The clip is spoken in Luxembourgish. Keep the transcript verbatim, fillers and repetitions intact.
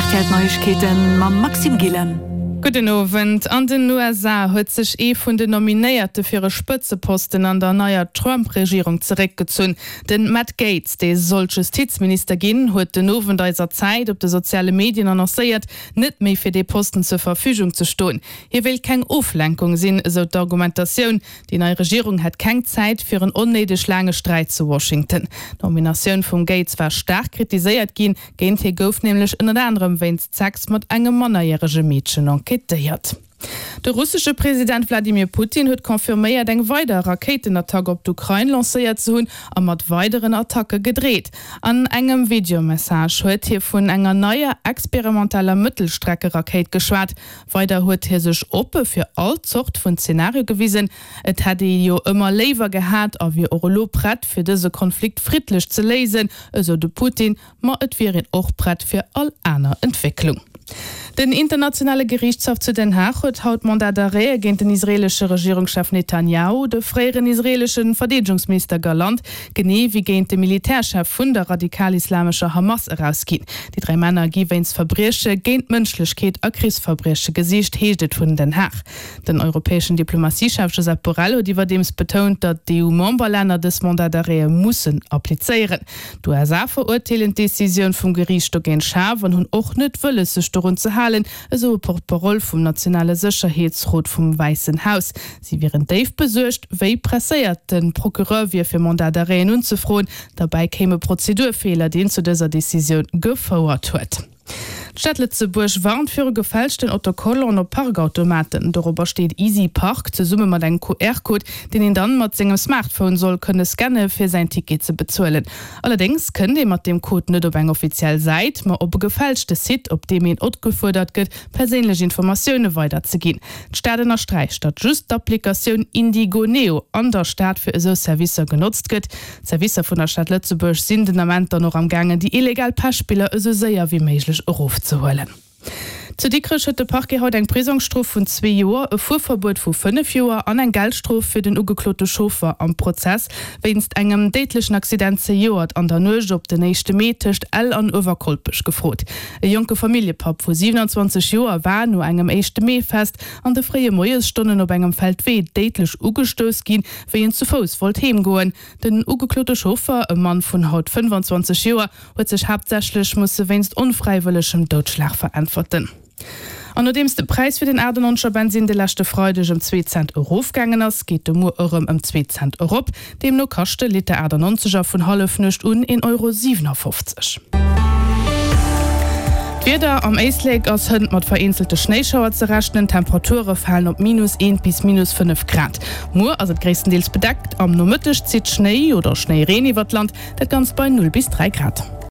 R T L Neiegkeeten mam Maxime Gillen. Gudden Owend. An den U S A huet sech ee vun den Nominéierte fir e Spëtzeposten an der neier Trump-Regierung zeréckgezunn. Den Matt Gaetz, dee sollt Justizminister ginn, huet den Owend eiser Zäit op de soziale Medien annoncéiert, net méi fir dee Posten zur Verfügung ze stoen. Hie wéilt keng Oflenkung sinn, esou d'Argumentatioun. Déi nei Regierung hätt keng Zäit fir en onnéideg laange Sträit zu Washington. D'Nominatioun vum Gaetz war staark kritiséiert ginn, géint hie gouf nämlech ënnert anerem wéinst Sex mat engem mannerjärege Meedchen enquêtéiert. De russesche President Wladimir Putin huet confirméiert, eng weider Rakéitenattack op d'Ukrain lancéiert ze hunn a mat weideren Attacke gedreet. An engem Videomessage huet hie vun enger neier experimenteller Mëttelstreckerakéit geschwat. Weider huet hie sech oppe fir all Zort vun Zenario gewisen. Et hätt ee jo ëmmer léiwer gehat a wier och elo prett fir dëse Konflikt friddlech ze léisen, esou de Putin, ma et wier een och prett fir all aner Entwécklung. Den internationale Geriichtshaff zu Den Haag huet haut Mandat d'arrêt géint den israeelesche Regierungschef Netanjahu, de fréieren israeelesche Verdeedegungsminister Galant, genee wéi géint de Militärchef vun der radikal-islamescher Hamas erausginn. Déi dräi Männer gi wéinst Verbrieche géint d'Mënschlechkeet a Krichsverbrieche gesicht, heescht et vun Den Haag. Den europäeschen Diplomatiechef Josep Borrell huet iwwerdeems betount, datt d'E U-Memberlänner dës Mandat d'arrêtë mussen applizéieren. D'U S A verurteelen d'Decisioun vum Geriicht dogéint schaarf an hunn och net wëlles, sech dorun ze halen, esou e Porte-parole vum nationale Sécherheetsrot vum Wäissen Haus. Si wieren déif besuergt, wéi presséiert de Procureur wier fir Mandat d'arrêten unzefroen. Derbäi kéime Prozedurfeeler, deen zu dëser Decisioun gefouert huet. D'Stad Lëtzebuerg warnt viru gefälschten Autocollanten op Parkautomaten. Dorobber steet Easy Park zesumme mat engem Q R-Code, deen een dann mat sengem Smartphone soll kënne scanne fir säin Ticket ze bezuelen. Allerdéngs kënnt ee mat deem Code net op eng offiziell Säit, ma op e gefälschte Site, op deem een opgefuerdert gëtt, perséinlech Informatioune weiderzeginn. D'Stad ënnersträicht, datt just d'Applikatioun Indigo Neo an der Stad fir esou Servicer genotzt gëtt. D'Servicer vun der Stad Lëtzebuerg sinn den Ament dann och am gaangen, déi illegal Pechspiller esou séier wéi méiglech erofzehuelen. Zu Dikrech huet de Parquet haut eng Prisongsstrof vun zwee Joer, e Fuerverbuet vu fënnef Joer an eng Geldstrof fir den ugeklote Chauffer am Prozess wéinst engem déidlechen Accident zejoert an der Nuecht op den éischte Mee tëscht Ell an Uewerkolpech gefrot. E jonke Familljepapp vu siewenanzwanzeg Joer war no engem éischte Mee-Fest an de fréie Moiesstonnen op engem Feldwee déidlech ugestouss ginn, wéi en zu Fouss wollt heemgoen. Den ugeklote Chauffer, e Mann vun haut fënnefanzwanzeg Joer, huet sech haaptsächlech musse wéinst onfräiwëllegem Doudschlag veräntwerten. An nodeems de Präis fir den achtannonzeger Bensinn de leschte Freideg ëm zwee Cent erofgaangen ass, geet de muer erëm ëm zwee Cent erop. Deemno kascht de Liter achtannonzeger vun Hallefnuecht un een Euro siwenafoffzeg. D'Wieder, Am Éislek ass hënt mat vereenzelte Schnéischauer ze rechnen, Temperature falen op minus eent bis minus fënnef Grad. Muer ass et gréisstendeels bedeckt, am Nomëtteg zitt Schnéi oder Schnéireen iwwer d'Land, dat Ganzt bei null bis dräi Grad.